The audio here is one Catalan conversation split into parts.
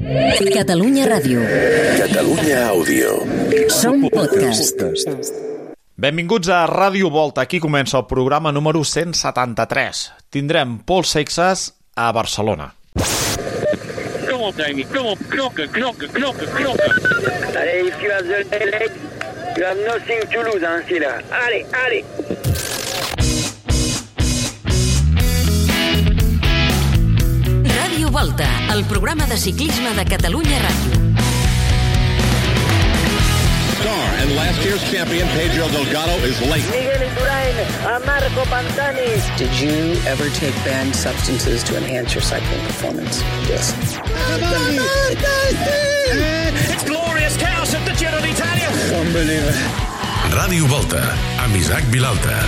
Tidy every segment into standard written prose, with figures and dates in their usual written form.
Catalunya Ràdio. Catalunya Àudio. Som podcast. Benvinguts a Ràdio Volta. Aquí comença el programa número 173. Tindrem Paul Seixas a Barcelona. Kom op, Dani. Kom op. Knokken. Allez, Yves, tu as the leg. You have nothing to lose, hein, c'est là. Allez. Ràdio Volta, el programa de ciclisme de Catalunya Ràdio. And last year's champion Pedro Delgado is late. Miguel Indurain, a Marco Pantani. Did you ever take banned substances to enhance your cycling performance? Yes. It's glorious chaos at the Giro d'Italia. Unbelievable. Ràdio Volta, amb Isaac Vilalta.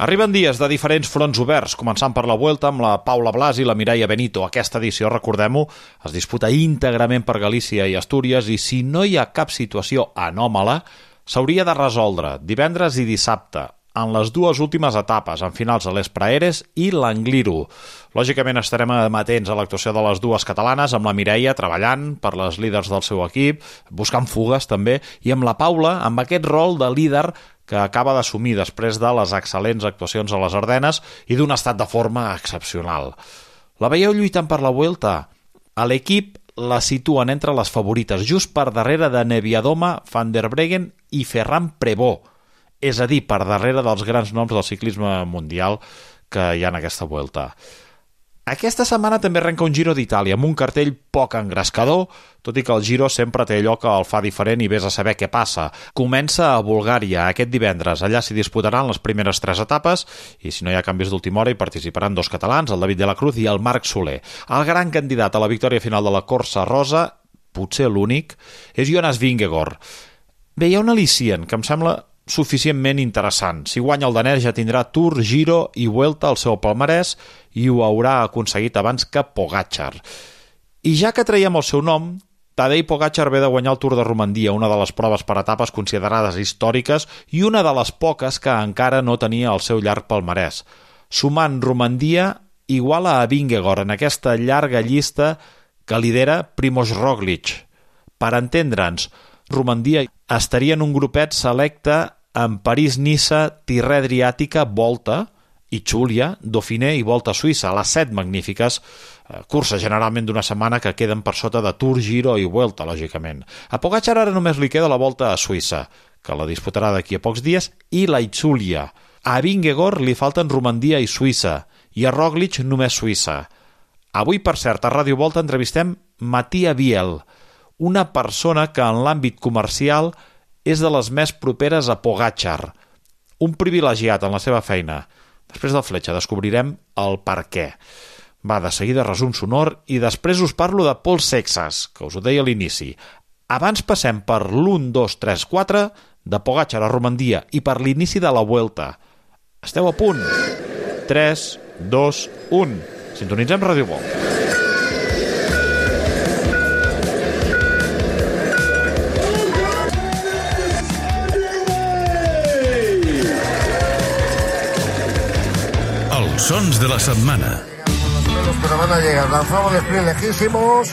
Arriben dies de diferents fronts oberts, començant per la Vuelta amb la Paula Blas i la Mireia Benito. Aquesta edició, recordem-ho, es disputa íntegrament per Galícia i Astúries i si no hi ha cap situació anòmala, s'hauria de resoldre divendres i dissabte, en les dues últimes etapes, en finals de l'Espraeres i l'Angliru. Lògicament estarem amatents a l'actuació de les dues catalanes, amb la Mireia treballant per les líders del seu equip, buscant fugues també, i amb la Paula amb aquest rol de líder que acaba d'assumir després de les excel·lents actuacions a les Ardenes i d'un estat de forma excepcional. La veieu lluitant per la Vuelta? A l'equip la situen entre les favorites, just per darrere de Neviadoma, Van der Breggen i Ferran Prevot, és a dir, per darrere dels grans noms del ciclisme mundial que hi ha en aquesta Vuelta. Aquesta setmana també arrenca un Giro d'Itàlia amb un cartell poc engrescador, tot i que el Giro sempre té allò que el fa diferent i vés a saber què passa. Comença a Bulgària aquest divendres. Allà s'hi disputaran les primeres 3 etapes i si no hi ha canvis d'última hora hi participaran 2 catalans, el David de la Cruz i el Marc Soler. El gran candidat a la victòria final de la Corsa Rosa, potser l'únic, és Jonas Vingegaard. Bé, hi ha un al·licient que em sembla suficientment interessant. Si guanya el danès ja tindrà Tour, Giro i Vuelta al seu palmarès i ho haurà aconseguit abans que Pogačar. I ja que traiem el seu nom, Tadej Pogačar ve de guanyar el Tour de Romandia, una de les proves per etapes considerades històriques i una de les poques que encara no tenia el seu llarg palmarès. Sumant Romandia, iguala a Vingegaard en aquesta llarga llista que lidera Primož Roglič. Per entendre'ns, Romandia estaria en un grupet selecte en París-Niça, Tirrè Adriàtica, Volta i Giulia, Dauphiné i Volta a Suïssa, les 7 magnífiques curses generalment d'una setmana que queden per sota de Tour, Giro i Vuelta, lògicament. A Pogačar ara només li queda la Volta a Suïssa, que la disputarà d'aquí a pocs dies, i la Giulia. A Vingegaard li falten Romandia i Suïssa, i a Roglič només Suïssa. Avui, per cert, a Ràdio Volta entrevistem Mattia Biel, una persona que en l'àmbit comercial és de les més properes a Pogačar. Un privilegiat en la seva feina. Després del Fletxa descobrirem el per què. Va, de seguida resum sonor i després us parlo de Paul Seixas, que us ho deia a l'inici. Abans passem per l'1, 2, 3, 4 de Pogačar a Romandia i per l'inici de la Vuelta. Esteu a punt? 3, 2, 1. Sintonitzem Ràdio Volta. Sons de la setmana. Pero van a llegar, lanzamos de sprint lejísimos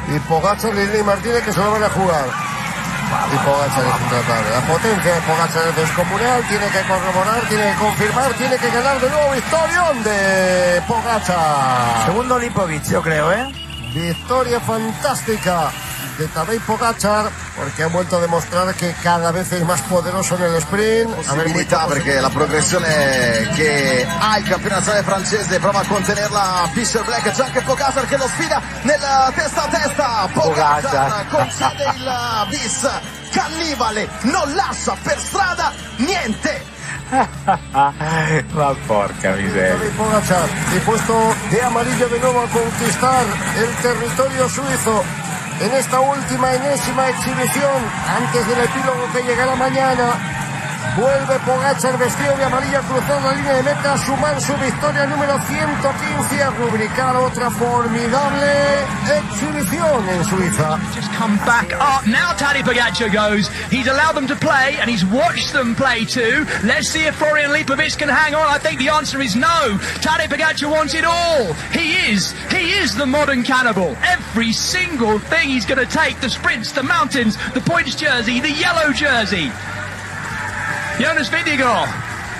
y Pogačar y Lili Martínez que se lo van a jugar. Y Pogačar es intratable. La potencia de Pogačar es descomunal, tiene que corroborar, tiene que confirmar, tiene que ganar de nuevo. Victorión de Pogačar. Segundo Lipovic, yo creo, ¿eh? Victoria fantástica de Tadej Pogačar, perché ha vuelto a dimostrare che cada vez è más poderoso nel sprint. Possibilità perché la progressione che ha il campionato nazionale francese prova a contenerla Fischer Black, c'è anche Pogačar che lo sfida nel testa a testa. Pogačar concede il bis cannibale, non lascia per strada niente. Ma porca miseria. Pogačar dispuesto de amarillo de nuevo a conquistar el territorio suizo en esta última enésima exhibición antes del epílogo que llegará mañana. Vuelve Pogačar vestido de amarillo, cruzando la línea de meta, sumar su victoria número 115 y a rubricar otra formidable exhibición en Suiza. Just come back up. Now Tadej Pogačar goes. He's allowed them to play and he's watched them play too. Let's see if Florian Lipovic can hang on. I think the answer is no. Tadej Pogačar wants it all. He is the modern cannibal. Every single thing he's going to take, the sprints, the mountains, the points jersey, the yellow jersey. Jonas Vingegaard,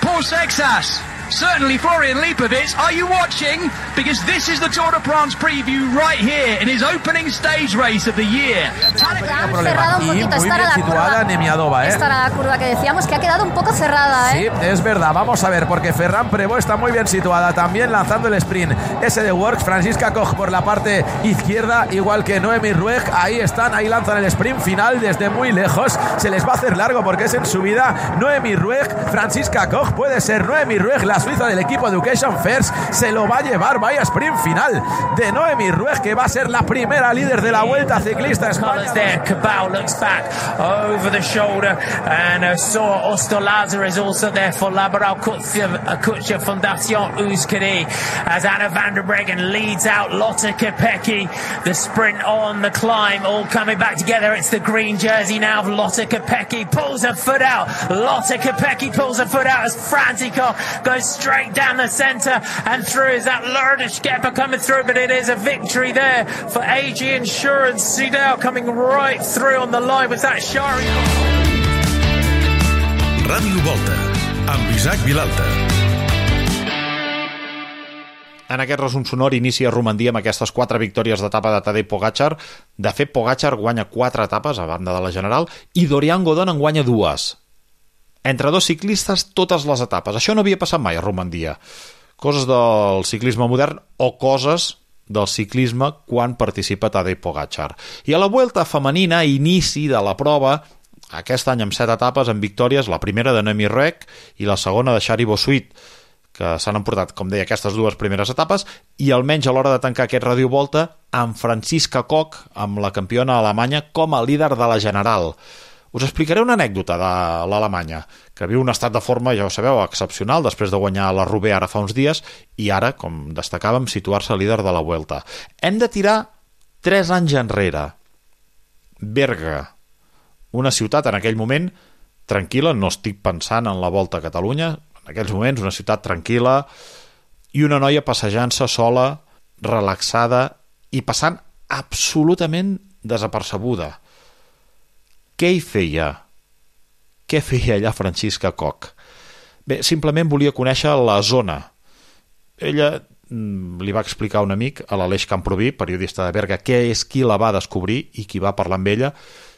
Paul Sexas, certainly Florian Lipovic. Are you watching? Because this is the Tour de France preview right here in his opening stage race of the year. Cerrada un poquito, esta era la curva. Nemiadova, Esta era la curva que decíamos que ha quedado un poco cerrada, Sí, es verdad. Vamos a ver, porque Ferran Prevot está muy bien situada, también lanzando el sprint. Ese de Works, Franziska Koch por la parte izquierda, igual que Noemi Rueg. Ahí están, ahí lanzan el sprint final desde muy lejos. Se les va a hacer largo porque es en subida. Noemi Rueg, Franziska Koch, puede ser Noemi Rueg, la suiza del equipo Education First, se lo va a llevar. Vaya sprint final de Noemi Rueg, que va a ser la primera líder de la Vuelta Ciclista a España. Cabal looks back over the shoulder and saw Ostolaza is also there for Laboral Kutcher Fundación Euskadi as Anna van der Breggen leads out Lotte Kopecky. The sprint on the climb all coming back together. It's the green jersey now of Lotte Kopecky, pulls her foot out. Lotte Kopecky pulls her foot out as Franziska goes straight down the centre and through. Is that Lourdes Skepa coming through? But it is a victory there for AG Insurance. See now coming right through on the line with that Shari. Ràdio Volta, amb Isaac Vilalta. En aquest resum sonor inicia Romandia amb aquestes 4 victòries d'etapa de Tadej Pogačar. De fet, Pogačar guanya 4 etapes a banda de la general i Dorian Godon en guanya 2. Entre 2 ciclistes totes les etapes. Això no havia passat mai a Romandia. Coses del ciclisme modern o coses del ciclisme quan participa Tadej Pogačar. I a la Vuelta femenina, inici de la prova, aquest any amb 7 etapes amb victòries, la primera de Noemi Rueg i la segona de Shari Bosuit, que s'han emportat, com deia, aquestes 2 primeres etapes, i almenys a l'hora de tancar aquest Ràdio Volta, amb Franziska Koch, amb la campiona alemanya, com a líder de la general. Us explicaré una anècdota de l'Alemanya, que viu un estat de forma, ja ho sabeu, excepcional, després de guanyar la Roubaix ara fa uns dies, i ara, com destacàvem, situar-se líder de la Vuelta. Hem de tirar 3 anys enrere. Berga, una ciutat en aquell moment tranquil·la, no estic pensant en la Volta a Catalunya, en aquells moments una ciutat tranquil·la, i una noia passejant-se sola, relaxada, i passant absolutament desapercebuda. Què hi feia? Què feia allà Franziska Koch? Bé, simplement volia conèixer la zona. Ella li va explicar a un amic, a l'Aleix Camproví, periodista de Berga, què és qui la va descobrir i qui va parlar amb ella.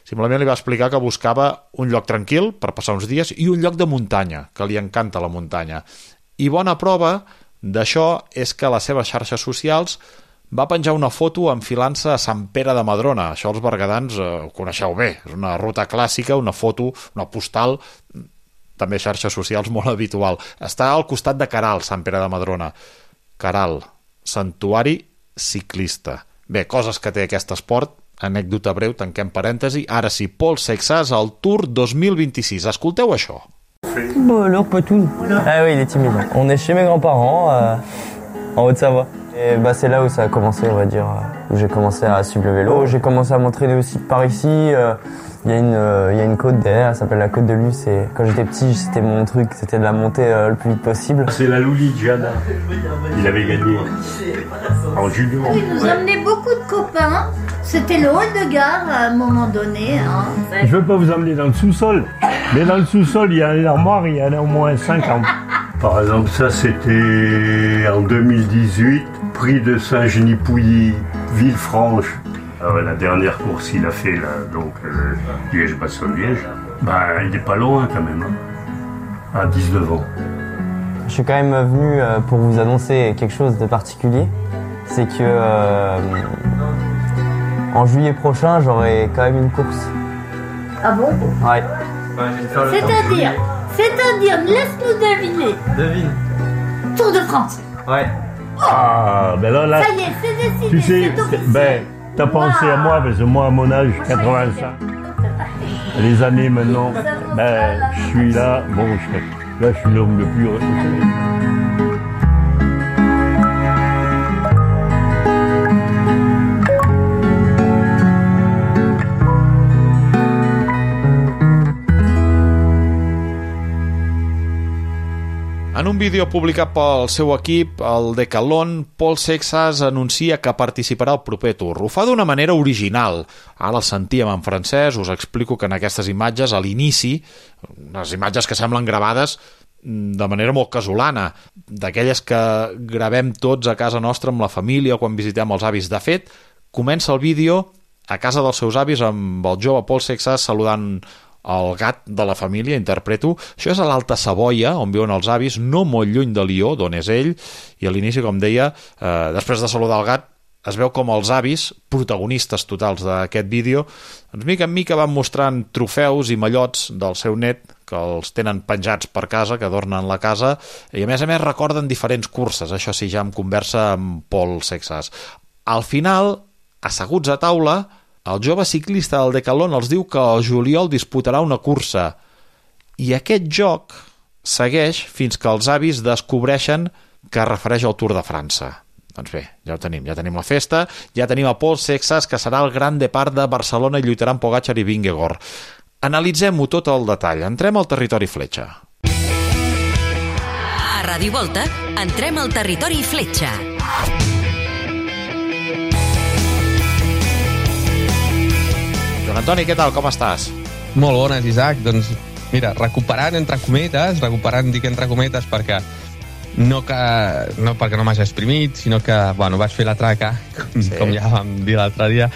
Simplement li va explicar que buscava un lloc tranquil per passar uns dies i un lloc de muntanya, que li encanta la muntanya. I bona prova d'això és que a les seves xarxes socials va penjar una foto enfilant-se a Sant Pere de Madrona. Això els berguedans ho coneixeu bé. És una ruta clàssica, una foto, una postal, també xarxes socials molt habitual. Està al costat de Caral, Sant Pere de Madrona. Caral, santuari ciclista. Bé, coses que té aquest esport. Anècdota breu, tanquem parèntesi. Ara sí, Paul Sexas al Tour 2026. Escolteu això. Bon, alors pas tout. Ah oui, il est timide. On est chez mes grands-parents, en Haute-Savoie. Et bah, c'est là où ça a commencé, on va dire, où j'ai commencé à suivre le vélo. J'ai commencé à m'entraîner aussi par ici. Il y a une côte derrière, elle s'appelle la côte de Luce. Et quand j'étais petit, c'était mon truc, c'était de la monter le plus vite possible. C'est la Louligiana. Il avait gagné en junior. Il nous emmenait beaucoup de copains. C'était le hall de gare à un moment donné. Hein. Je veux pas vous emmener dans le sous-sol, mais dans le sous-sol, il y a une armoire, il y en a au moins 50. Par exemple, ça c'était en 2018, prix de Saint-Genis-Pouilly, Villefranche. La dernière course il a fait là, donc Liège-Bastogne-Liège, bah, il est pas loin quand même, hein, à 19 ans. Je suis quand même venu pour vous annoncer quelque chose de particulier. C'est que en juillet prochain, j'aurai quand même une course. Ah bon? Ouais. C'est-à-dire, laisse-nous deviner. Devine. Tour de France. Ouais. Ah, ben là, ça y est, c'est décidé. Tu sais, ben, t'as pensé à moi, parce que moi, à mon âge, 85. Les années maintenant, je suis là, là je suis l'homme le plus heureux. En un vídeo publicat pel seu equip, el Decathlon, Paul Sexas anuncia que participarà al proper Tour. Ho fa d'una manera original. Ara el sentíem en francès, us explico que en aquestes imatges, a l'inici, unes imatges que semblen gravades de manera molt casolana, d'aquelles que gravem tots a casa nostra amb la família o quan visitem els avis. De fet, comença el vídeo a casa dels seus avis amb el jove Paul Sexas saludant el gat de la família, interpreto. Això és a l'Alta Savoia, on viuen els avis, no molt lluny de Lió, d'on és ell, i a l'inici, com deia, després de saludar el gat, es veu com els avis, protagonistes totals d'aquest vídeo, doncs mica en mica van mostrant trofeus i mallots del seu net, que els tenen penjats per casa, que adornen la casa, i a més recorden diferents curses, això sí, ja em conversa amb Paul Sexas. Al final, asseguts a taula, el jove ciclista del Decathlon els diu que el juliol disputarà una cursa i aquest joc segueix fins que els avis descobreixen que es refereix al Tour de França. Doncs bé, ja ho tenim, ja tenim la festa, ja tenim a Paul Sexas, que serà el Gran Depart de Barcelona i lluitarà amb Pogačar i Vingegaard. Analitzem-ho tot al detall, entrem al territori fletxa. A Ràdio Volta, entrem al territori fletxa. Joan Antoni, què tal? Com estàs? Molt bones, Isaac. Doncs mira, recuperant entre cometes perquè no perquè no m'hagi exprimit, sinó que vaig fer la traca, com ja vam dir l'altre dia,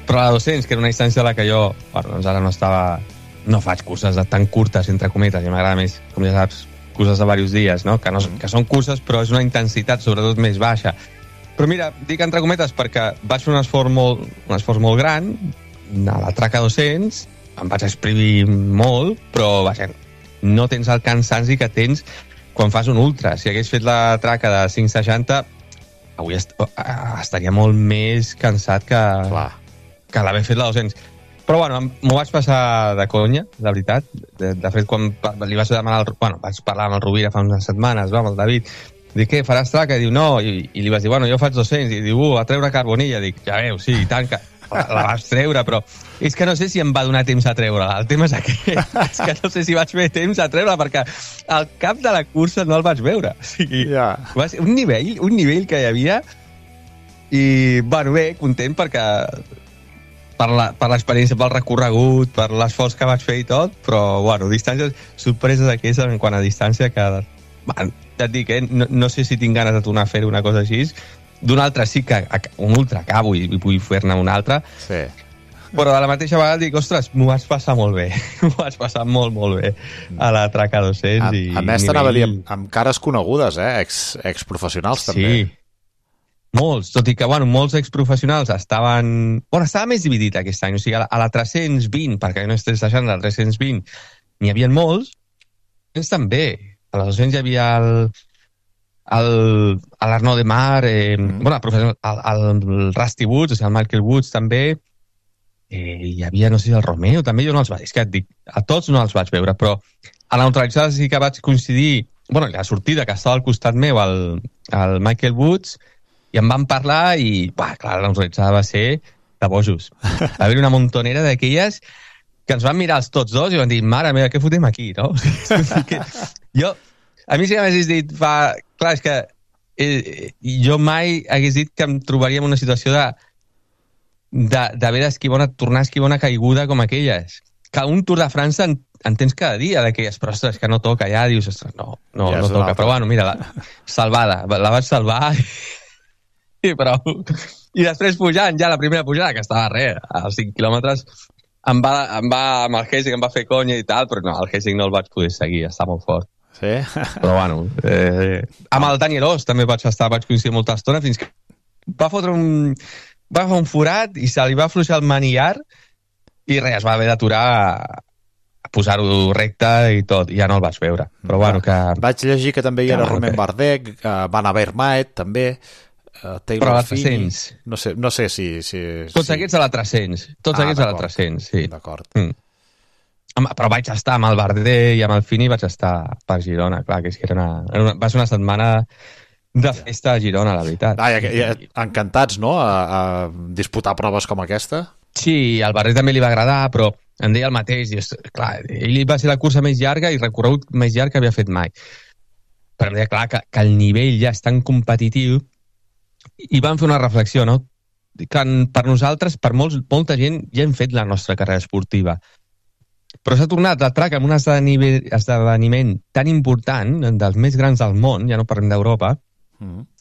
però la 200, que era una distància a la que jo doncs ara no faig curses tan curtes, entre cometes, i m'agrada més, com ja saps, curses de diversos dies, no? Que són curses, però és una intensitat sobretot més baixa. Però mira, dic entre cometes perquè vaig fer un esforç molt gran, a la traca 200, em vaig exprimir molt, però no tens el cansanci que tens quan fas un ultra. Si hagués fet la traca de 560, avui estaria molt més cansat que l'haver fet la 200. Però m'ho vaig passar de conya, de veritat. De fet, quan li vaig demanar vaig parlar amb el Rovira fa unes setmanes, amb el David, dic, què, faràs traca? I diu, no, i li vas dir, jo faig 200, i diu, a treure carbonilla. Dic, ja veus, sí, i tant, que la vas treure, però és que no sé si em va donar temps a treure-la. El tema és aquest, és que no sé si vaig fer temps a treure-la, perquè al cap de la cursa no el vaig veure. O sigui, va ser un nivell que hi havia, i, bé, content perquè per l'experiència, pel recorregut, per l'esforç que vaig fer i tot, però, distàncies, sorpreses aquestes en quant a distància que, ja et dic, no sé si tinc ganes de tornar a fer una cosa així. D'un altre sí que un ultra acabo i vull fer-ne un altre, sí. Però a la mateixa vegada dic, ostres, m'ho vaig passar molt bé, m'ho vaig passar molt, molt bé a la traca 200. A més, t'anava a dir, amb cares conegudes, exprofessionals també. Sí, molts, tot i que, molts exprofessionals estava més dividit aquest any, o sigui, a la 320, perquè no estàs deixant la 320, n'hi havia molts, també, a la 200 hi havia l'Arnaud Demar, el Rusty Woods, o sigui, el Michael Woods també, hi havia, no sé si el Romeo també, jo no els vaig, és que et dic, a tots no els vaig veure, però a la neutralitzada sí que vaig coincidir, la sortida que estava al costat meu, el Michael Woods, i em van parlar i, clar, la neutralitzada va ser de bojos. Va haver una montonera d'aquelles que ens van mirar els tots dos i van dir, mare meva, què fotem aquí, no? A mi sí que m'hagués dit, clar, és que jo mai hagués dit que em trobaria en una situació d'haver d'esquivar tornar a esquivar una caiguda com aquelles. Que un Tour de França en tens cada dia d'aquelles, però ostres, que no toca, ja dius, ostres, no toca. Però mira, salvada, la vaig salvar i prou. I després pujant, ja la primera pujada, que estava als 5 quilòmetres, amb el Hessing em va fer conya i tal, però no, el Hessing no el vaig poder seguir, està molt fort. Sí? Però amb el Daniel Oss també vaig coincidir molta estona fins que va fer un forat i se li va afluixar el manillar i res, es va haver d'aturar a posar-ho recte i tot, i ja no el vaig veure. Però que... Vaig llegir que també hi era Romain Bardet, Van Avermaet també, Taylor Phinney, no sé si... Tots aquests a la 300, sí. D'acord. Però vaig estar amb el Bardet i amb el Fini, vaig estar per Girona, clar, que és que va ser una setmana de festa a Girona, la veritat. Encantats, no?, a disputar proves com aquesta? Sí, al Bardet també li va agradar, però em deia el mateix, clar, ell va ser la cursa més llarga i recorregut més llarg que havia fet mai. Però em deia, clar, que el nivell ja és tan competitiu, i vam fer una reflexió, no?, que per nosaltres, per molta gent, ja hem fet la nostra carrera esportiva. Però s'ha tornat el track amb un esdeveniment tan important, dels més grans del món, ja no parlem d'Europa,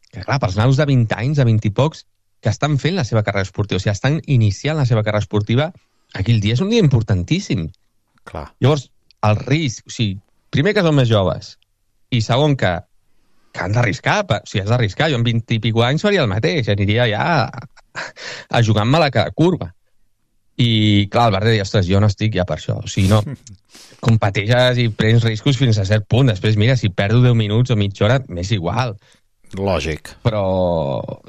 que clar, pels naus de 20 anys, de 20 i pocs, que estan fent la seva carrera esportiva, o sigui, estan iniciant la seva carrera esportiva, aquell dia és un dia importantíssim. Clar. Llavors, el risc, o sigui, primer que són més joves, i segon que han d'arriscar, o sigui, has d'arriscar, jo amb 20 i pico anys faria el mateix, aniria ja a jugar-me a cada curva. I clar, el Bardet deia, ostres, jo no estic ja per això, o sigui, no, competeixes i prens riscos fins a cert punt, després mira, si perdo 10 minuts o mitja hora, m'és igual. Lògic. Però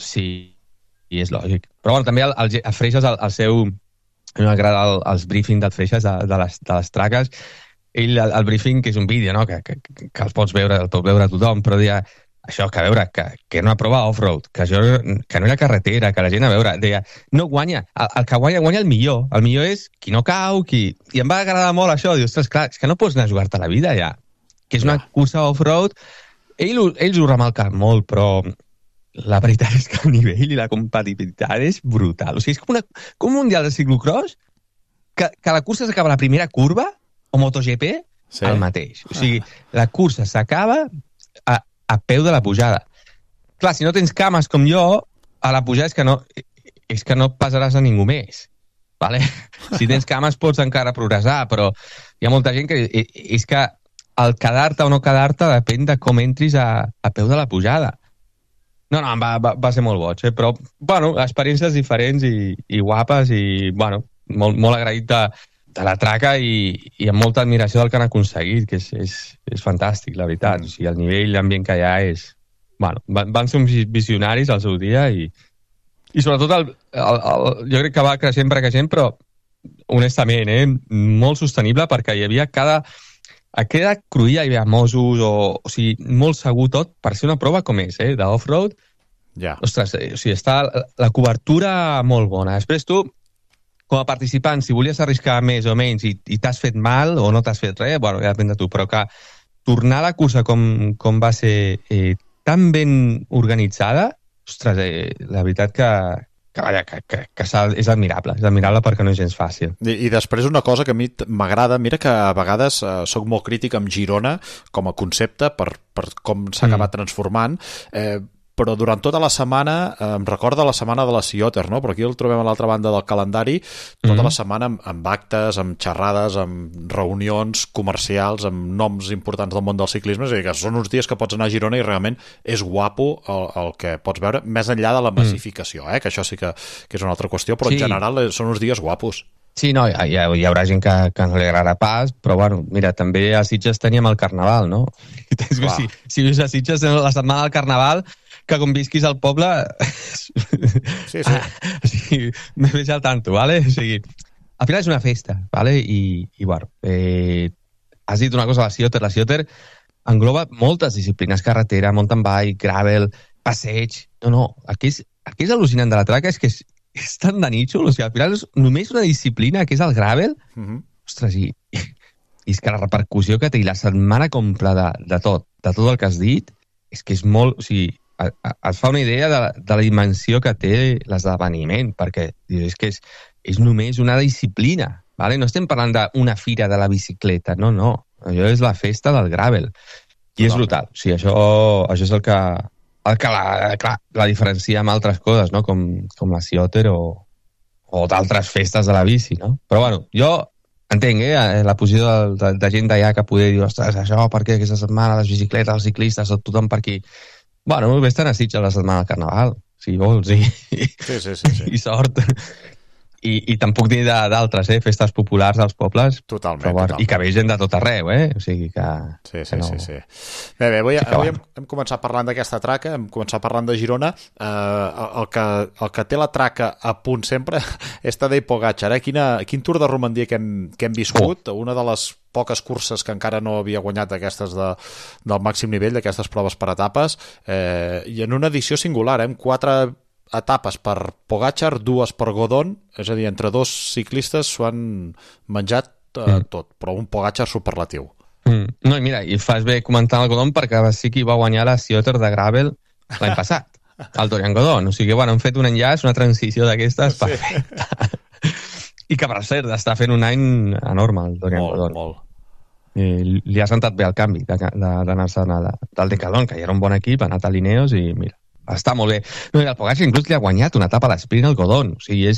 sí, i és lògic. Però bueno, també a Freixas, el seu... A mi m'agrada els briefings del Freixas de les traques. Ell, el briefing, que és un vídeo, no?, que el pot veure tothom, però deia això, que a veure, que era una prova off-road, que no era carretera, que la gent, a veure, deia, no guanya, el que guanya el millor és qui no cau, I em va agradar molt això, dius, ostres, clar, és que no pots anar a jugar-te la vida ja, que és una cursa off-road. Ells ho remarquen molt, però la veritat és que el nivell i la competitivitat és brutal. O sigui, és com un mundial de ciclocross que la cursa s'acaba a la primera curva, o MotoGP, el mateix. O sigui, la cursa s'acaba a peu de la pujada. Clar, si no tens cames com jo, a la pujada és que no passaràs a ningú més. Vale? Si tens cames pots encara progressar, però hi ha molta gent que és que el quedar-te o no quedar-te depèn de com entris a peu de la pujada. No, va ser molt boig, però, bueno, experiències diferents i guapes i, bueno, molt agraït de la traca i amb molta admiració del que han aconseguit, que és fantàstic, la veritat. O sigui, el nivell, l'ambient que hi ha és... Bueno, van ser uns visionaris al seu dia i sobretot jo crec que va creixent, però honestament, molt sostenible, perquè hi havia a cada cruïlla hi havia Mossos, o sigui, molt segur tot, per ser una prova com és, d'off-road. Ostres, o sigui, està la cobertura molt bona. Després tu, com a participant, si volies arriscar més o menys i t'has fet mal o no t'has fet res, bueno, ja depèn de tu, però que tornar a la cursa com va ser tan ben organitzada, ostres, la veritat que és admirable perquè no és gens fàcil. I després una cosa que a mi m'agrada, mira que a vegades soc molt crític amb Girona com a concepte per com s'ha acabat transformant, però durant tota la setmana, em recorda la setmana de la Cioter, no? Però aquí el trobem a l'altra banda del calendari, tota la setmana amb actes, amb xerrades, amb reunions comercials, amb noms importants del món del ciclisme, és a dir, que són uns dies que pots anar a Girona i realment és guapo el que pots veure, més enllà de la massificació, que això sí que és una altra qüestió, però en general són uns dies guapos. Sí, no, hi haurà gent que no li agradarà pas, però bueno, mira, també a Sitges teníem el Carnaval, no? Si vius a Sitges la setmana del Carnaval, que com visquis al poble... Sí. O sigui, me veig al tanto, ¿vale? O sigui, al final és una festa, ¿vale? I bueno, has dit una cosa, la Cioter engloba moltes disciplines, carretera, mountain bike, gravel, passeig... No, el que és al·lucinant de la traca és que és tan de nítxol, o sigui, al final és només una disciplina que és el gravel, ostres, i és que la repercussió que té i la setmana completa de tot el que has dit, és que és molt... O sigui, et fa una idea de la dimensió que té l'esdeveniment, perquè és que és només una disciplina, ¿vale? No estem parlant d'una fira de la bicicleta, no, allò és la festa del gravel, i és brutal, o sigui, això és el que la diferencia amb altres coses, no? Com la Cioter o d'altres festes de la bici, no? Però bueno, jo entenc, la posició de gent d'allà que poder dir, ostres, això, per què aquesta setmana les bicicletes, els ciclistes, tothom per aquí... Bueno, vés-te'n a Sitges la setmana del Carnaval, si vols, Sí. I sort. I te'n puc dir d'altres, festes populars als pobles. Totalment. I que ve gent de tot arreu, O sigui que... Sí. Bé, avui hem començat parlant d'aquesta traca, hem començat parlant de Girona. El que té la traca a punt sempre és Tadej Pogačar. Quin Tour de Romandia que hem viscut, una de les poques curses que encara no havia guanyat d'aquestes del màxim nivell, d'aquestes proves per etapes, i en una edició singular, amb 4 etapes per Pogačar, 2 per Godon, és a dir, entre 2 ciclistes s'ho han menjat tot, però un Pogačar superlatiu. No, i mira, i fas bé comentant el Godon perquè sí que va guanyar la Ciotter de Gravel l'any passat, el Dorian Godon, o sigui que han fet un enllaç, una transició d'aquestes perfecta. I que, per cert, està fent un any enorme el Dorian Godon. Molt. Li ha sentat bé el canvi d'anar-se'n del Decathlon, que ja era un bon equip, ha anat a Lineos i mira, està molt bé. No, i el Pogačar inclús li ha guanyat una etapa a l'esprint al Godon. O sigui,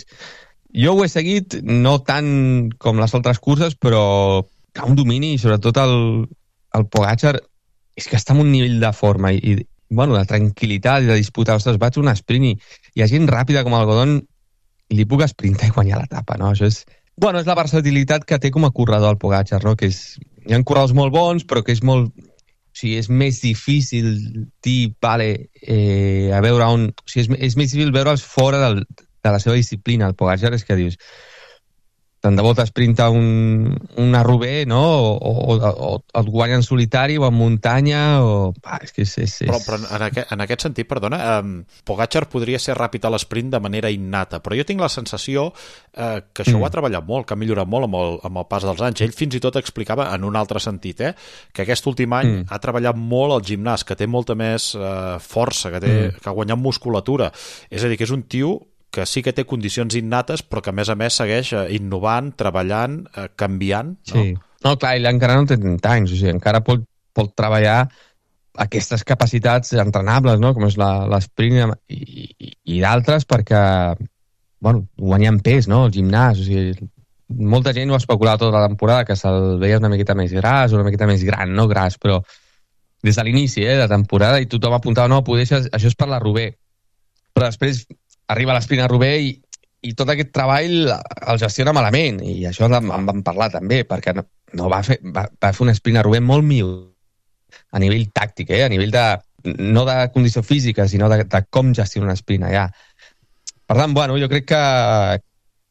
jo ho he seguit, no tant com les altres curses, però que un domini, i sobretot el Pogačar, és que està en un nivell de forma i de tranquil·litat i de disputar. Ostres, vaig un sprint i hi ha gent ràpida com el Godon i li puc sprintar i guanyar l'etapa, no? Això és la versatilitat que té com a corredor el Pogačar, no? Que hi ha corredors molt bons, però que és molt... O sigui, és més difícil dir, a veure on... O sigui, és més difícil veure'ls fora de la seva disciplina. El Pogačar és que dius, tant de bo t'esprinta una Roubaix, no? O et guanya en solitari o en muntanya, o... és que és... Però en aquest sentit, perdona, Pogačar podria ser ràpid a l'esprint de manera innata, però jo tinc la sensació que això ho ha treballat molt, que ha millorat molt amb el pas dels anys. Ell fins i tot explicava, en un altre sentit, que aquest últim any ha treballat molt al gimnàs, que té molta més força, que ha guanyat musculatura. És a dir, que és un tio que sí que té condicions innates, però que a més segueix innovant, treballant, canviant. No? Sí. No, clar, ell encara no té 30 anys, o sigui, encara pot treballar aquestes capacitats entrenables, no? Com és l'esprint i d'altres, perquè guanyant pes, no? El gimnàs, o sigui, molta gent ho ha especulat tota la temporada, que se'l veia una miqueta més gras, una miqueta més gran, no gras, però des de l'inici de temporada, i tothom apuntava, no, poder això és per la Roubaix. Però després arriba l'esprint a Roubaix i tot aquest treball el gestiona malament, i això en vam parlar també, perquè no va fer un sprint a Roubaix molt millor a nivell tàctic, a nivell no de condició física, sinó de com gestiona un sprint allà. Per tant, jo crec que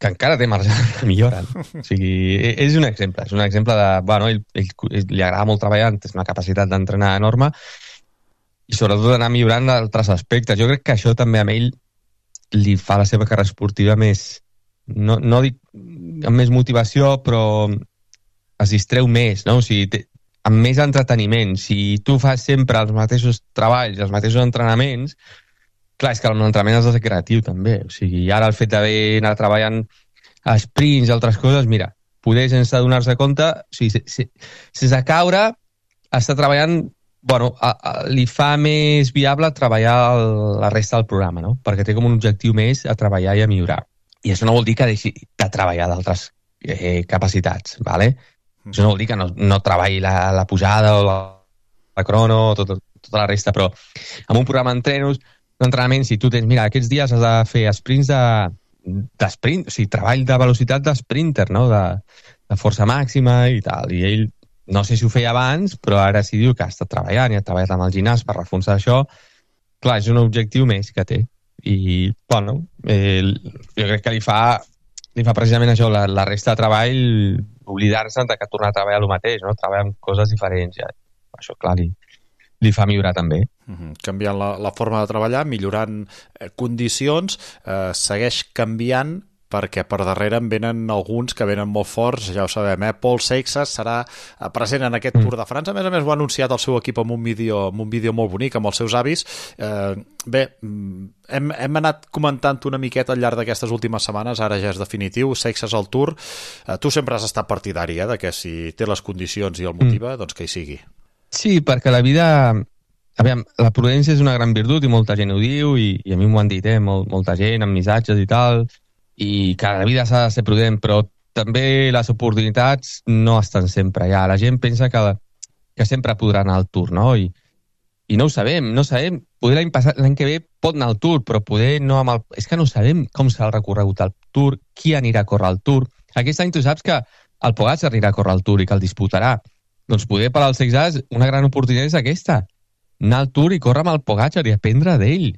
encara té marge de millora. O sigui, és un exemple de... Ell li agrada molt treballar, té una capacitat d'entrenar enorme, i sobretot d'anar millorant altres aspectes. Jo crec que això també amb ell li fa la seva carrera esportiva més, no dic amb més motivació, però es distreu més, no? O sigui, amb més entreteniment. Si tu fas sempre els mateixos treballs, els mateixos entrenaments, clar, és que l'entrenament has de ser creatiu també. O sigui, ara el fet d'haver anat treballant a sprints i altres coses, mira, poder sense donar-se compte, o sigui, sense caure, està treballant... li fa més viable treballar la resta del programa, no? Perquè té com un objectiu més a treballar i a millorar. I això no vol dir que deixi de treballar d'altres capacitats, ¿vale? Això no vol dir que no treballi la pujada o la crono o tota la resta, però amb un programa d'entrenament, si tu tens, mira, aquests dies has de fer sprints d'esprint, o sigui, treball de velocitat d'esprinter, no? De força màxima i tal, i ell no sé si ho feia abans, però ara sí diu que ha estat treballant i ha treballat amb el gimnàs per reforçar això. Clar, és un objectiu més que té. I, jo crec que li fa precisament això, la resta de treball, oblidar-se de que tornar a treballar el mateix, no? Treballar amb coses diferents. Ja. Això, clar, li fa millorar també. Canviant la forma de treballar, millorant condicions, segueix canviant, perquè per darrere en venen alguns que venen molt forts, ja ho sabem, Paul Seixas serà present en aquest Tour de França. A més ho ha anunciat el seu equip amb un vídeo molt bonic, amb els seus avis. Hem anat comentant una miqueta al llarg d'aquestes últimes setmanes, ara ja és definitiu, Seixas al Tour. Tu sempre has estat partidari, de que si té les condicions i el motiva, doncs que hi sigui. Sí, perquè la vida... Aviam, la prudència és una gran virtut i molta gent ho diu, i a mi m'ho han dit, molta gent, amb missatges i tal... i que la vida s'ha de ser prudent, però també les oportunitats no estan sempre allà. La gent pensa que sempre podrà anar al Tour, no? I I no ho sabem. Poder l'any que ve pot anar al Tour, però poder no amb el... És que no sabem com serà el recorregut al Tour, qui anirà a córrer al Tour. Aquest any tu saps que el Pogačar anirà a córrer al Tour i que el disputarà. Doncs poder per als Sexas una gran oportunitat és aquesta. Anar al Tour i córrer amb el Pogačar i aprendre d'ell.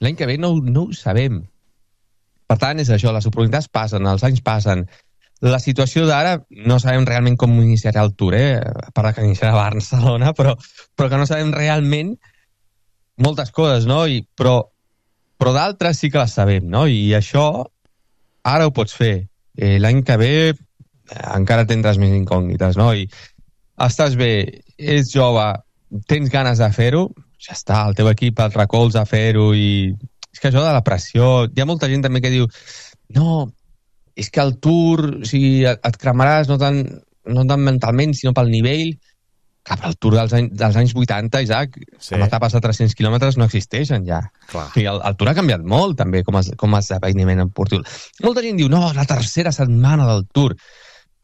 L'any que ve no ho sabem. Per tant, és això, les oportunitats passen, els anys passen. La situació d'ara no sabem realment com iniciarà el Tour, a part que iniciarà a Barcelona, però que no sabem realment moltes coses, no? Però d'altres sí que les sabem, no? I això ara ho pots fer. L'any que ve encara tindràs més incògnites, no? I estàs bé, ets jove, tens ganes de fer-ho, ja està, el teu equip et recolza a fer-ho i... És que això de la pressió... Hi ha molta gent també que diu no, és que el Tour, o sigui, et cremaràs no tant mentalment, sinó pel nivell. Clar, però el Tour dels anys 80, Isaac, amb etapes de 300 quilòmetres no existeixen ja. Clar. O sigui, el Tour ha canviat molt, també, com a esdeveniment esportiu. Molta gent diu, no, la tercera setmana del Tour.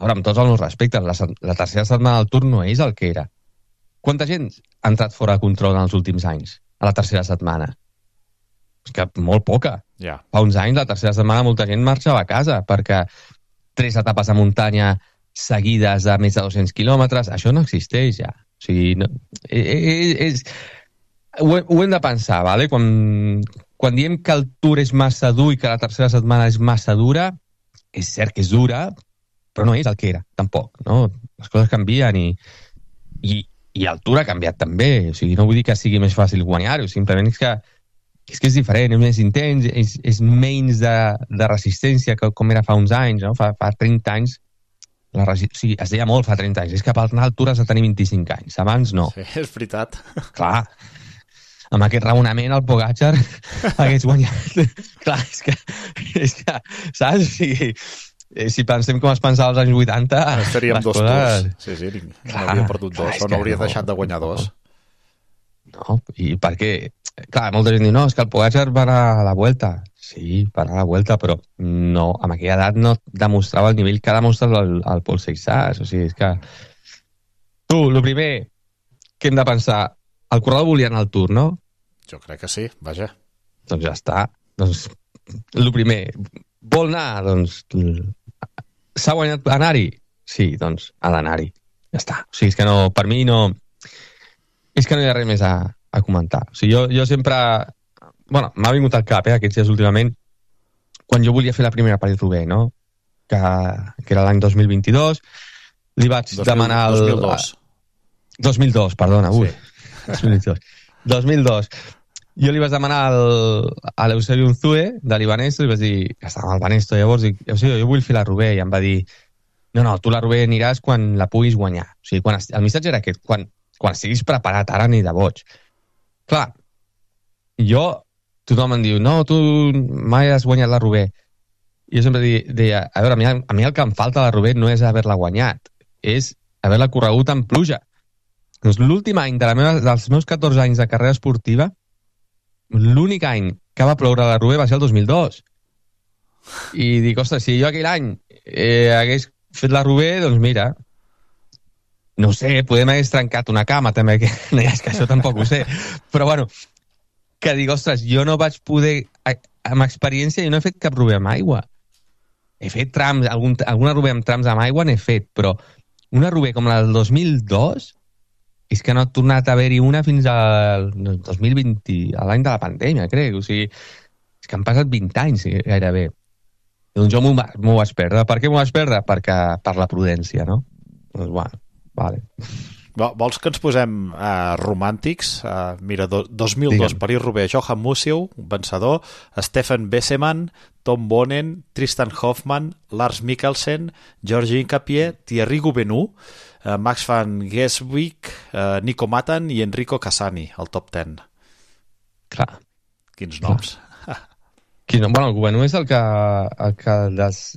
Ara, amb tots els meus respectes, la tercera setmana del Tour no és el que era. Quanta gent ha entrat fora de control en els últims anys, a la tercera setmana? És que molt poca. Ja. Fa uns anys, la tercera setmana, molta gent marxava a casa, perquè 3 etapes de muntanya seguides de més de 200 quilòmetres, això no existeix ja. O sigui, no, ho hem de pensar, ¿vale? Quan diem que el Tour és massa dur i que la tercera setmana és massa dura, és cert que és dura, però no és el que era, tampoc, no? Les coses canvien i el Tour ha canviat també. O sigui, no vull dir que sigui més fàcil guanyar-ho, simplement és que és diferent, és més intens, és menys de resistència que com era fa uns anys, no? Fa 30 anys, o sigui, es deia molt fa 30 anys, és que per anar al Tour has de tenir 25 anys, abans no. Sí, és veritat. Clar, amb aquest raonament el Pogačar hagués guanyat. Clar, és que saps? O sigui, si pensem com es pensava als anys 80... Estaríem dos Tours. Sí, n'hauria perdut dos, o n'hauria deixat de guanyar dos. No, i per què? Clar, molta gent diu, no, és que el Pogačar va anar a la Vuelta. Sí, va anar a la Vuelta, però no, amb aquella edat no demostrava el nivell que ha demostrat el Pol Seixas. O sigui, és que... Tu, el primer que hem de pensar, el corredor volia anar al Tour, no? Jo crec que sí, vaja. Doncs ja està. Doncs, el primer, vol anar? Doncs, s'ha guanyat anar-hi? Sí, doncs, ha d'anar-hi. Ja està. O sigui, és que no, per mi no... És que no hi ha res més a comentar. O sigui, jo sempre... Bueno, m'ha vingut al cap, aquests dies últimament, quan jo volia fer la primera París-Roubaix, no? Que era l'any 2022, li vaig demanar... 2002. 2002, perdona, ui. Sí. 2002. Jo li vaig demanar a l'Eusebio Unzue, de l'Ibanesto, i vaig dir, que estava al Banesto, llavors dic, Eusebio, jo vull fer la Roubaix, i em va dir, no, tu la Roubaix aniràs quan la puguis guanyar. O sigui, el missatge era aquest, quan estiguis preparat, ara ni de boig. Clar, tothom em diu, no, tu mai has guanyat la Roubaix. I jo sempre deia, a veure, a mi el que em falta a la Roubaix no és haver-la guanyat, és haver-la corregut en pluja. Doncs l'últim any dels meus 14 anys de carrera esportiva, l'únic any que va ploure la Roubaix va ser el 2002. I dic, ostres, si jo aquell any hagués fet la Roubaix, doncs mira, no ho sé, podem haver trencat una cama també, que és que això tampoc ho sé, però bueno, que dic, ostres, jo no vaig poder, amb experiència, jo no he fet cap Roubaix amb aigua. He fet trams, alguna Roubaix amb trams amb aigua n'he fet, però una Roubaix com la del 2002 és que no ha tornat a haver-hi una fins al 2020, a l'any de la pandèmia, crec. O sigui, és que han passat 20 anys gairebé. Doncs jo m'ho vaig perdre. Per què m'ho vaig perdre? Per la prudència, no? Doncs bueno, vale. Vols que ens posem romàntics? Mira, 2002, París-Roubaix, Johan Museeuw, vencedor, Stefan Besseman, Tom Bonen, Tristan Hoffmann, Lars Mikkelsen, Georgi Hincapié, Thierry Gouvenou, Max van Geswick, Nico Matan i Enrico Cassani, al top 10. Clar. Quins noms. Bueno, el Gouvenou és el que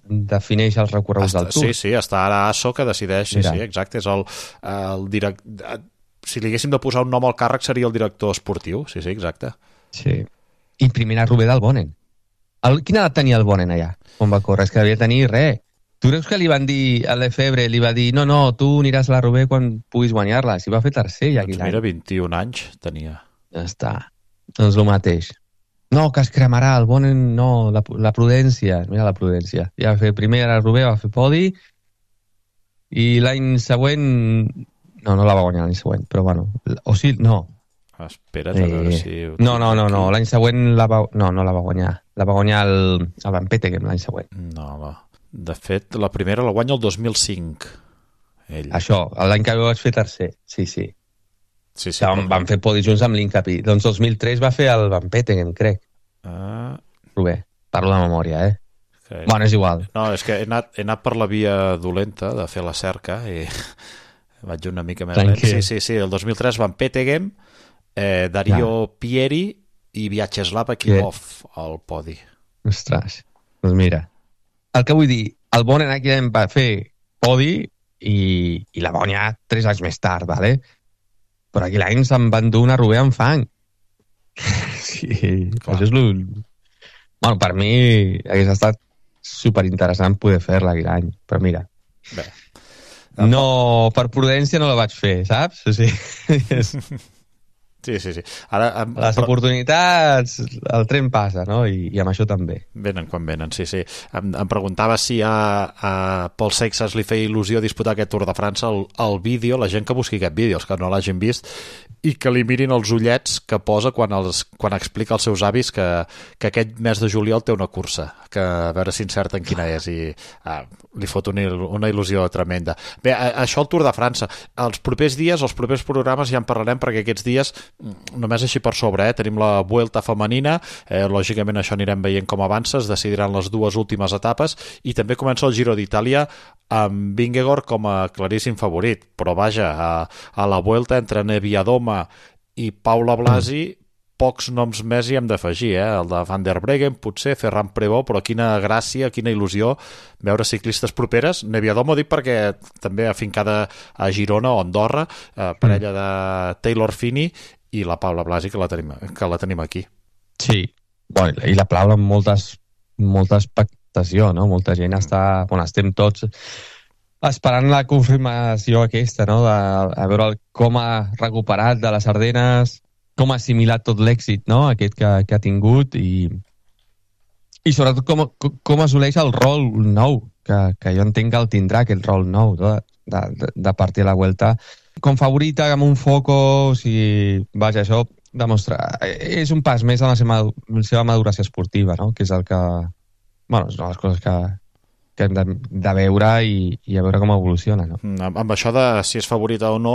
defineix els recorreguts del Tour. Sí, està ara ASO que decideix. Sí, exacte. És el director... Si li haguéssim de posar un nom al càrrec seria el director esportiu. Sí, exacte. Sí. I primera Roubaix del Bonen. Quina edat tenia el Bonen allà? On va córrer? És que devia tenir res. Tu creus que li van dir a Lefebvre, li va dir no, tu aniràs a la Roubaix quan puguis guanyar-la? Si va fer tercer ja aquell any. Mira, 21 anys tenia. Ja està. Doncs el mateix. No, que es cremarà, el Bonen no, la prudència. Mira la prudència. Ja va fer primer, ara Rubé va fer podi, i l'any següent... No la va guanyar l'any següent, però bueno... O sí, no. Espera't a veure si... No, l'any següent no la va guanyar. La va guanyar el Van Petegem l'any següent. No, de fet, la primera la guanya el 2005. Ell. Això, l'any que vaig fer tercer, sí. Sí, van fer podi junts amb l'Incapi. Doncs 2003 va fer el Van Petegem, crec. Rubé, parlo de memòria, Okay. Bueno, és igual. No, és que he anat per la via dolenta de fer la cerca i vaig una mica més lent. Sí, el 2003 Van Petegem, Dario Pieri i Vyacheslav Akimov al podi. Ostres, doncs mira. El que vull dir, el Bonen aquí va fer podi i la va guanyar 3 anys més tard, ¿vale? Però aquí l'any se'n van dur una Rubé amb fang. Sí, això és Bueno, per mi hagués estat superinteressant poder fer-la aquell any, però mira. Bé. No, per prudència no la vaig fer, saps? O sigui, Sí. Ara, les oportunitats, el tren passa, no? I amb això també. Venen quan venen, sí. Em preguntava si a Paul Seixas li feia il·lusió disputar aquest Tour de França, el vídeo, la gent que busqui aquest vídeo, els que no l'hagin vist, i que li mirin els ullets que posa quan explica als seus avis que aquest mes de juliol té una cursa, que a veure si encerten quina és, i li fot una il·lusió tremenda. Bé, això el Tour de França. Els propers dies, els propers programes ja en parlarem, perquè aquests dies, només així per sobre, tenim la Vuelta femenina, lògicament això anirem veient com avança, es decidiran les 2 últimes etapes, i també comença el Giro d'Itàlia amb Vingegaard com a claríssim favorit, però vaja, a la Vuelta entre Neviadoma i Paula Blasi pocs noms més hi hem d'afegir, el de Van der Breggen, potser Ferran Prevot, però quina gràcia, quina il·lusió veure ciclistes properes. Neviadoma ho dic perquè també afincada a Girona o Andorra, parella de Taylor Phinney i la Paula Blasi, que la tenim aquí. Sí, bueno, i la Paula amb molta expectació, no? Molta gent està... Bueno, estem tots esperant la confirmació aquesta, no? A veure com ha recuperat de les Ardenes, com ha assimilat tot l'èxit, no? Aquest que ha tingut, i sobretot com assoleix el rol nou, que jo entenc que el tindrà, aquest rol nou, no? de partir a la Vuelta com favorita, amb un focus, i vaja, això demostra, és un pas més en la seva maduració esportiva, no? Que és el que, bueno, és una de les coses que hem de veure i a veure com evoluciona, no? Amb això de si és favorita o no,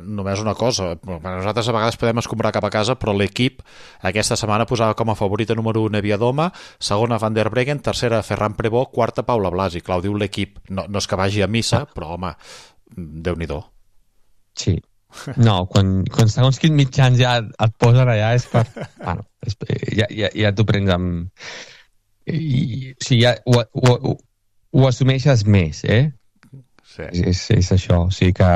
només una cosa, nosaltres a vegades podem escombrar cap a casa, però l'equip aquesta setmana posava com a favorita número 1 Neviadoma, segona Van der Breggen, tercera Ferran Prevot, quarta Paula Blasi. Clar, ho diu l'equip, no és que vagi a missa, però home, Déu-n'hi-do. Sí. No, quan segons quins mitjans ja et posen allà és per... Bueno, ja t'ho prens amb... O sigui, ja ho assumeixes més, Sí. És això, o sigui que...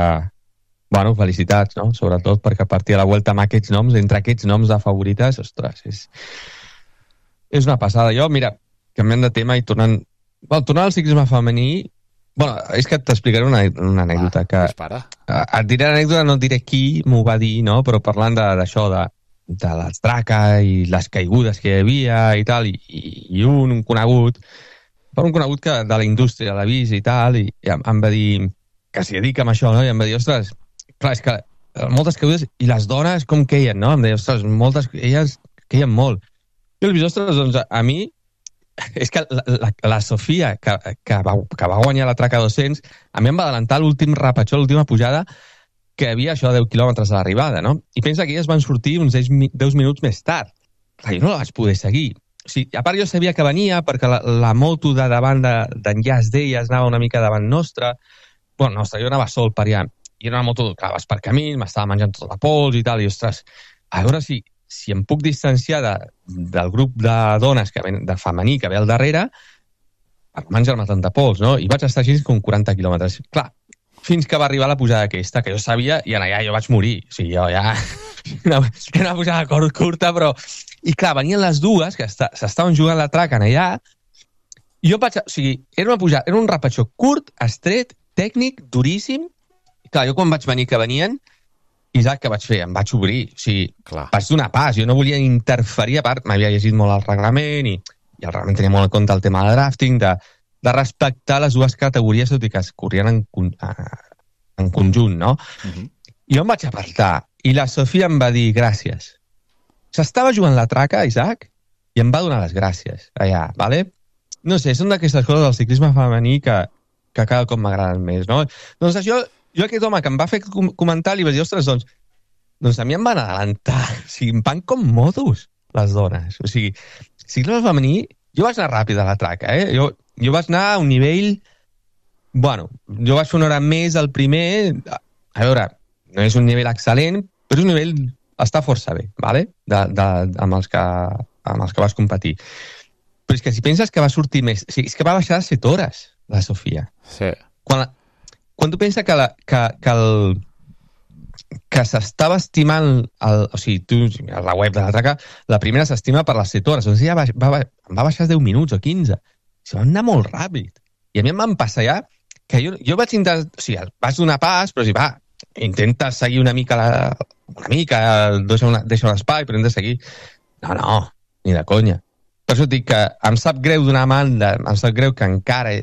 Bueno, felicitats, no? Sobretot perquè a partir de la Vuelta amb aquests noms, entre aquests noms de favorites, ostres, és una passada. Jo, mira, canviant de tema i tornant al ciclisme femení, bueno, és que t'explicaré una anècdota. Et diré l'anècdota, no et diré qui m'ho va dir, no? Però parlant d'això, de l'estraca i les caigudes que hi havia i tal, i un conegut que de la indústria l'ha vist i tal, i em va dir que s'hi dedica amb això, no? I em va dir, ostres, clar, és que moltes caigudes, i les dones com queien, no? Em deia, ostres, elles queien molt. I el ostres, doncs a mi, és que la Sofia, que va guanyar la traca 200, a mi em va adelantar l'últim rapatxó, l'última pujada, que havia això a 10 quilòmetres de l'arribada, no? I pensa que elles van sortir uns 10 minuts més tard. Clar, jo no la vaig poder seguir. O sigui, a part jo sabia que venia perquè la moto de davant d'enllaç d'elles anava una mica davant nostra. Bueno, nostra, jo anava sol per allà. I era una moto, clar, vas per camí, m'estava menjant tota la pols i tal, i ostres, a veure si em puc distanciar del grup de dones de femení que ve al darrere per menjar-me tanta pols, no? I vaig estar així com 40 quilòmetres. Clar, fins que va arribar la pujada aquesta, que jo sabia, i allà jo vaig morir. O sigui, jo ja... Era una pujada curta, però... I clar, venien les dues, que s'estaven jugant la traca allà, i jo vaig... O sigui, era un rapatxó curt, estret, tècnic, duríssim. I clar, jo quan vaig venir que venien, Isaac, què vaig fer? Em vaig obrir, o sigui, vaig donar pas, jo no volia interferir, a part, m'havia llegit molt el reglament i el reglament tenia molt en compte el tema de drafting, de respectar les dues categories, tot i que es corrien en conjunt, no? Jo em vaig apartar i la Sofia em va dir gràcies. S'estava jugant la traca, Isaac, i em va donar les gràcies allà, ¿vale? No sé, són d'aquestes coses del ciclisme femení que cada cop m'agraden més, no? Doncs això, jo aquest home que em va fer comentar li va dir, ostres, doncs a mi em van adelantar, o sigui, em van com modos les dones, o sigui, ciclisme femení, jo vaig anar ràpid a la traca, jo vaig anar a un nivell, bueno, jo vaig fer una hora més al primer, a veure, no és un nivell excel·lent, però és un nivell, està força bé, ¿vale? Amb els que vas competir. Però és que si penses que va sortir més, o sigui, és que va baixar 7 hores, la Sofia. Sí. Quan tu penses que s'estava estimant, o sigui, tu, a la web de la traca, la primera s'estima per les 7 hores, doncs ja em va baixar 10 minuts o 15. Se va anar molt ràpid. I a mi em van passar ja que jo vaig intentar, o sigui, vaig donar pas, però si va, intenta seguir una mica, deixa l'espai, però hem de seguir. No, ni de conya. Per això dic que em sap greu d'una banda, em sap greu que encara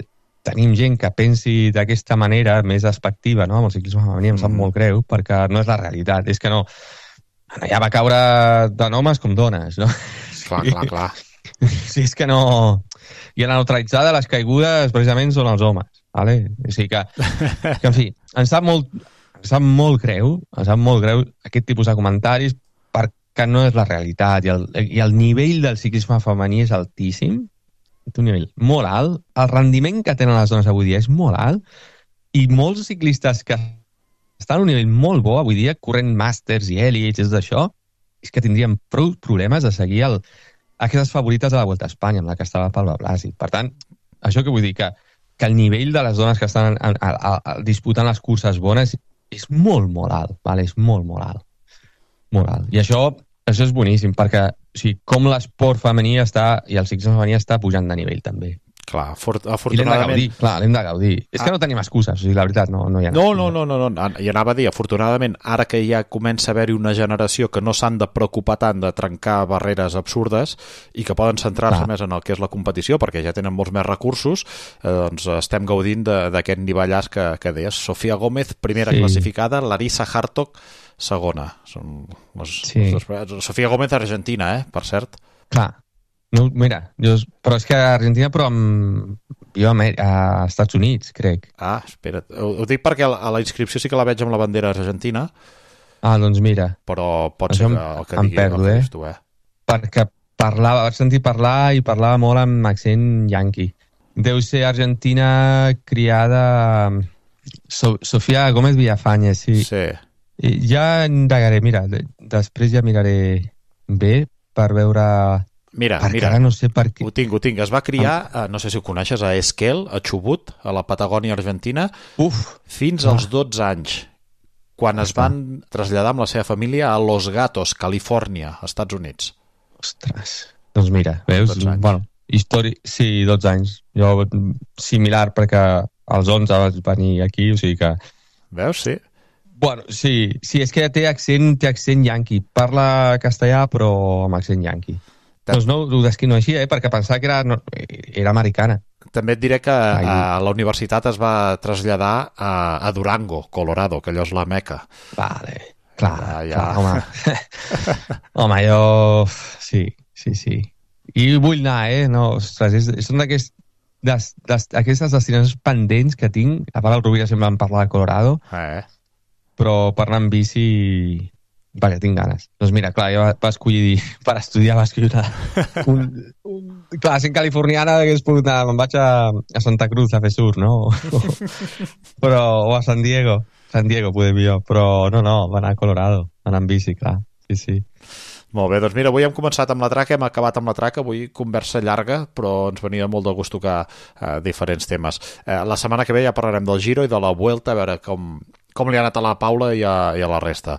tenim gent que pensi d'aquesta manera més despectiva, no? Amb el ciclisme femení em sap molt greu, perquè no és la realitat. És que no... Ja va caure tant homes com dones, no? Clar. Sí, és que no... I la neutralitzada de les caigudes precisament són els homes, ¿vale? O sigui que en fi, em sap molt greu aquest tipus de comentaris perquè no és la realitat i el nivell del ciclisme femení és altíssim, un nivell molt alt, el rendiment que tenen les dones avui dia és molt alt i molts ciclistes que estan a un nivell molt bo avui dia, corrent màsters i èlits, és d'això, és que tindrien prou problemes de seguir aquestes favorites de la Volta a Espanya, amb la que estava Paula Blasi. Per tant, això que vull dir, que el nivell de les dones que estan disputant les curses bones és molt, molt alt, vale? És molt, molt alt. Molt alt. I això és boníssim, perquè o sigui, com l'esport femení està, i el ciclisme femení està pujant de nivell, també. Clar, I l'hem de gaudir. És que no tenim excuses, o sigui, la veritat, no hi ha excuses. No. I anava a dir, afortunadament, ara que ja comença a haver-hi una generació que no s'han de preocupar tant de trencar barreres absurdes i que poden centrar-se més en el que és la competició, perquè ja tenen molts més recursos, doncs estem gaudint d'aquest nivellàs que deies. Sofia Gómez, primera classificada, Larissa Hartog, segona. Sofia Gómez, argentina, per cert. Clar. No, mira, però és que a Argentina, però jo a Estats Units, crec. Ah, espera't. Ho dic perquè a la inscripció sí que la veig amb la bandera argentina. Ah, doncs mira. Però pot ser que em perdo, tu, Perquè vaig sentir parlar i parlava molt amb accent yanqui. Deu ser argentina criada... Sofia Gómez Villafañe, sí. Ja indagaré, mira, després ja miraré bé per veure... Mira, no sé per què. Ho tinc. Es va criar, no sé si ho coneixes, a Esquel, a Chubut, a la Patagònia argentina, fins als 12 anys, quan es van traslladar amb la seva família a Los Gatos, Califòrnia, Estats Units. Ostres, doncs mira, veus? Bueno, sí, 12 anys. Jo, similar, perquè als 11 vaig venir aquí, o sigui que... Veus, sí. Bueno, sí, és que té accent yanqui. Parla castellà, però amb accent yanqui. Doncs no ho descriu així, perquè pensava que era americana. També et diré que a la universitat es va traslladar a Durango, Colorado, que allò és la Meca. Vale, clar, home. Home, jo... Sí. I vull anar, no? Ostres, són d'aquestes destinacions pendents que tinc. A part, el Rovira sempre em parla de Colorado. Però per anar amb bici... Vaja, tinc ganes. Doncs mira, clar, jo va escollir per estudiar, va escriure clar, sent californiana hagués pogut anar, me'n vaig a Santa Cruz a fer surf, no? O a San Diego podem jo, però no, va anar a Colorado, va anar amb bici, clar, sí. Molt bé, doncs mira, avui hem començat amb la traca, hem acabat amb la traca, avui conversa llarga, però ens venia molt de gust tocar diferents temes. La setmana que ve ja parlarem del Giro i de la Vuelta, a veure com li ha anat a la Paula i a la resta.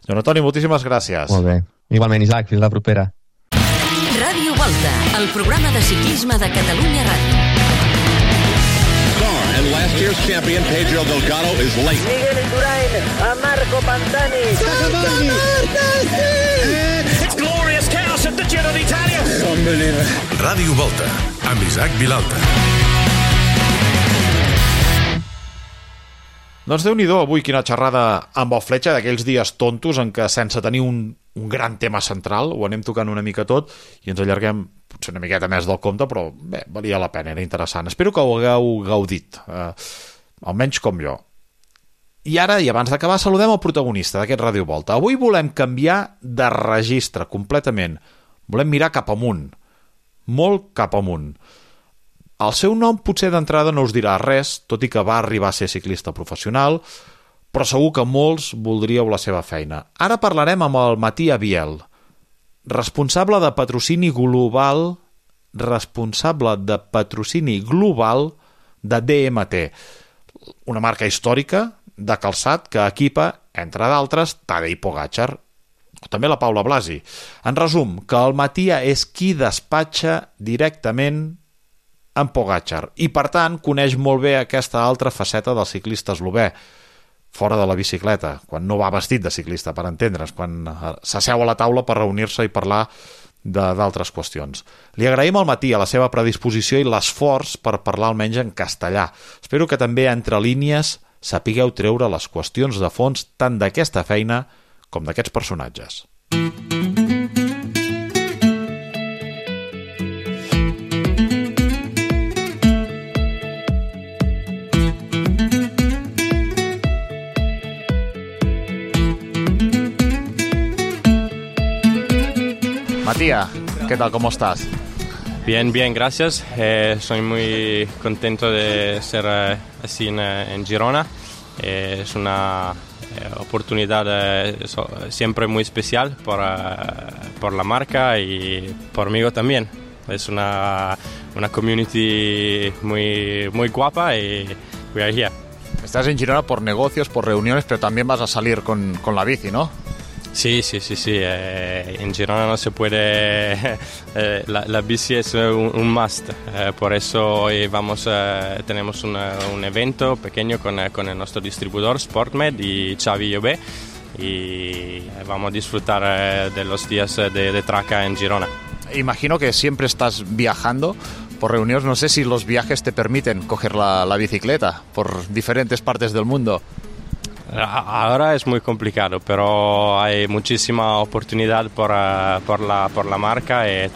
Joan Antoni, moltíssimes gràcies. Molt bé. Igualment, Isaac, fins la propera. Ràdio Volta, el programa de ciclisme de Catalunya Ràdio. car, and last year's champion Pedro Delgado is late. Miguel Indurain a Marco Pantani. It's glorious chaos at the Giro d'Italia. Unbelievable. Ràdio Volta, amb Isaac Vilalta. Doncs Déu-n'hi-do, avui quina xerrada amb el Fletxa, d'aquells dies tontos en què sense tenir un gran tema central ho anem tocant una mica tot i ens allarguem potser una miqueta més del compte, però bé, valia la pena, era interessant. Espero que ho hagueu gaudit, almenys com jo. I ara, i abans d'acabar, saludem el protagonista d'aquest Ràdio Volta. Avui volem canviar de registre completament. Volem mirar cap amunt, molt cap amunt. El seu nom potser d'entrada no us dirà res, tot i que va arribar a ser ciclista professional, però segur que molts voldríeu la seva feina. Ara parlarem amb el Mattia Biel, responsable de patrocini global de DMT, una marca històrica de calçat que equipa, entre d'altres, Tadej Pogačar, o també la Paula Blasi. En resum, que el Mattia és qui despatxa directament en Pogačar i, per tant, coneix molt bé aquesta altra faceta del ciclista eslovè, fora de la bicicleta, quan no va vestit de ciclista, per entendre's, quan s'asseu a la taula per reunir-se i parlar d'altres qüestions. Li agraïm al Matí a la seva predisposició i l'esforç per parlar almenys en castellà. Espero que també, entre línies, sapigueu treure les qüestions de fons tant d'aquesta feina com d'aquests personatges. Matías, ¿qué tal? ¿Cómo estás? Bien, gracias. Soy muy contento de ser así en Girona. Es una oportunidad siempre muy especial por la marca y por mí también. Es una community muy guapa y we are here. Estás en Girona por negocios, por reuniones, pero también vas a salir con la bici, ¿no? Sí. En Girona no se puede. La bici es un must. Por eso hoy tenemos un evento pequeño con el nuestro distribuidor Sportmed y Xavi Llobé. Y vamos a disfrutar de los días de traca en Girona. Imagino que siempre estás viajando por reuniones. No sé si los viajes te permiten coger la bicicleta por diferentes partes del mundo. Ahora es muy complicado, pero hay muchísima oportunidad por la marca y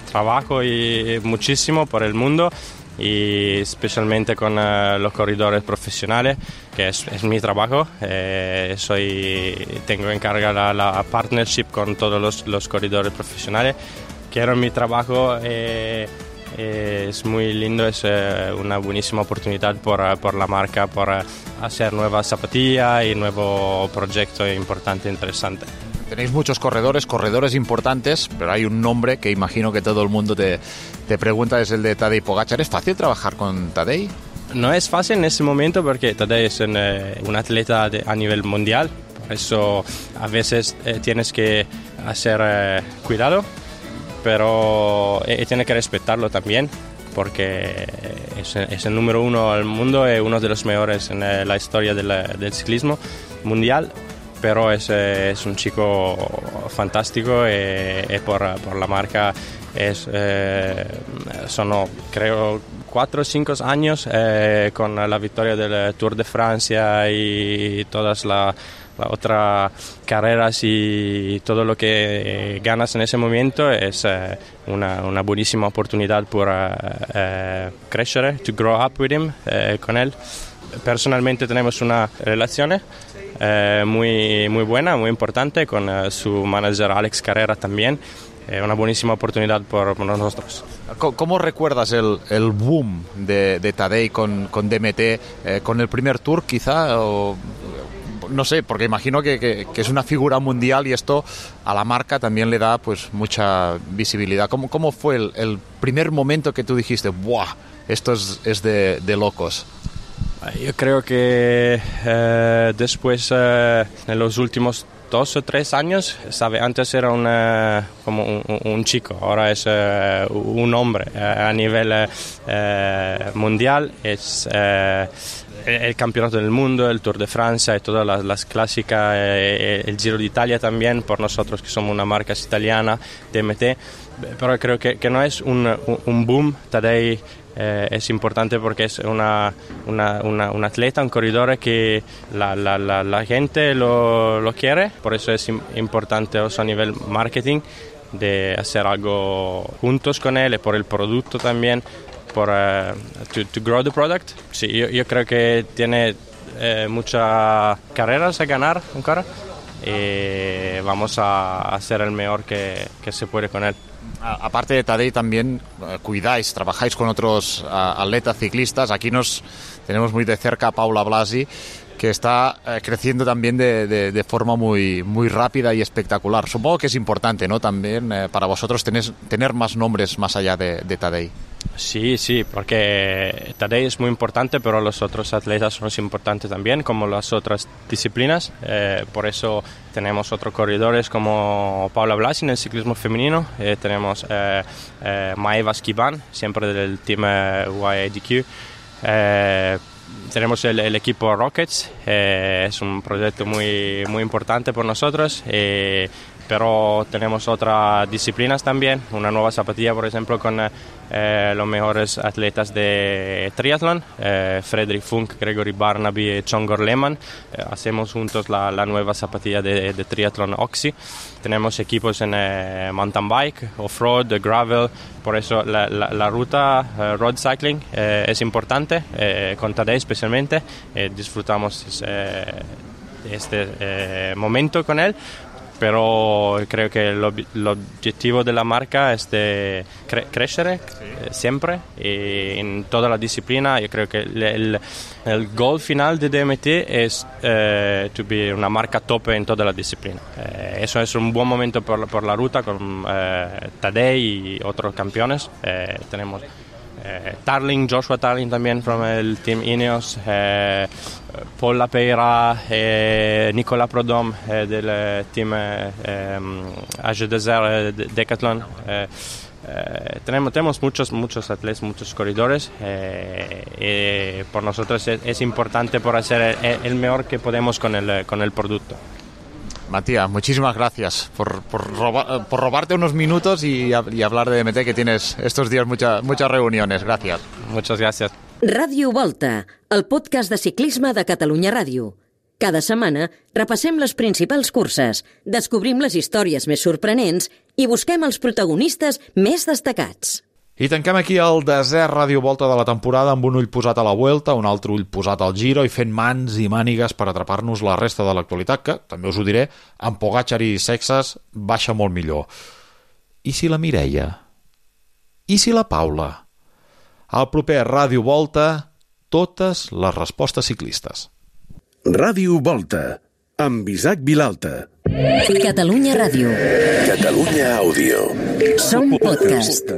trabajo y muchísimo por el mundo y especialmente con los corredores profesionales, que es mi trabajo. Tengo encargada la partnership con todos los corredores profesionales. Quiero mi trabajo. Es muy lindo, es una buenísima oportunidad por la marca, por hacer nuevas zapatillas y nuevo proyecto importante, interesante. Tenéis muchos corredores importantes, pero hay un nombre que imagino que todo el mundo te pregunta, es el de Tadej Pogačar. ¿Es fácil trabajar con Tadej? No es fácil en ese momento porque Tadej es un atleta a nivel mundial, por eso a veces tienes que hacer cuidado, pero tiene que respetarlo también porque es el número uno del mundo y uno de los mejores en la historia del ciclismo mundial, pero es un chico fantástico y por la marca son creo 4 o 5 años con la victoria del Tour de Francia y todas las otras carreras y todo lo que ganas en ese momento es una buenísima oportunidad para crecer, to grow up with him, con él. Personalmente tenemos una relación muy buena, muy importante con su manager Alex Carrera también. Una buenísima oportunidad por nosotros. ¿Cómo recuerdas el boom de Tadej con DMT? ¿Con el primer Tour quizá? O, no sé, porque imagino que es una figura mundial y esto a la marca también le da pues mucha visibilidad. ¿Cómo fue el primer momento que tú dijiste, ¡buah! Esto es de locos? Yo creo que después, en los últimos 2 o 3 años, sabe, antes era como un chico, ahora es un hombre a nivel mundial, es el campeonato del mundo, el Tour de Francia y todas las clásicas, el Giro de Italia también, por nosotros que somos una marca italiana, DMT, pero creo que no es un boom. Tadej es importante porque es un atleta, un corredor que la gente lo quiere, por eso es importante also a nivel marketing de hacer algo juntos con él y por el producto también, por to grow the product. Sí, yo creo que tiene muchas carreras a ganar ancora y vamos a hacer el mejor que se puede con él. Aparte de Tadej, también trabajáis con otros atletas ciclistas. Aquí tenemos muy de cerca a Paula Blasi, que está creciendo también de forma muy, muy rápida y espectacular. Supongo que es importante, ¿no? También para vosotros tener más nombres más allá de Tadej. Sí, porque Tadej es muy importante, pero los otros atletas son importantes también, como las otras disciplinas. Por eso tenemos otros corredores como Paula Blasi en el ciclismo femenino, tenemos Maeva Skiban, siempre del team UAE-DQ. Tenemos el equipo Rockets, es un proyecto muy, muy importante por nosotros, pero tenemos otras disciplinas también, una nueva zapatilla, por ejemplo, con los mejores atletas de triatlón, Fredrik Funk, Gregory Barnaby y Csongor Lehmann. Hacemos juntos la nueva zapatilla de triatlón Oxy. Tenemos equipos en mountain bike, off-road, gravel, por eso la ruta road cycling es importante, con Tadej especialmente, disfrutamos este momento con él. Pero creo que el objetivo de la marca es de crecer siempre y en toda la disciplina. Yo creo que el goal final de DMT es to be una marca top en toda la disciplina. Eso es un buen momento por la ruta con Tadej y otros campeones. Tenemos Joshua Tarling también from el team Ineos, Paul Lapeira, Nicolas Prodhomme del team Age Desert Decathlon. Tenemos muchos atletas, muchos corredores y por nosotros es importante por hacer el mejor que podemos con el producto. Matías, muchísimas gracias por robarte unos minutos y hablar de DMT, que tienes estos días muchas reuniones. Gracias. Muchas gracias. Ràdio Volta, el podcast de ciclisme de Catalunya Ràdio. Cada setmana repassem les principals curses, descobrim les històries més sorprenents i busquem els protagonistes més destacats. I tanquem aquí el desè Ràdio Volta de la temporada amb un ull posat a la Vuelta, un altre ull posat al Giro i fent mans i mànigues per atrapar-nos la resta de l'actualitat, que, també us ho diré, amb Pogačar i Sexas baixa molt millor. I si la Mireia? I si la Paula? Al proper Ràdio Volta, totes les respostes ciclistes. Ràdio Volta, amb Isaac Vilalta. Catalunya Ràdio. Catalunya Àudio. Som podcast.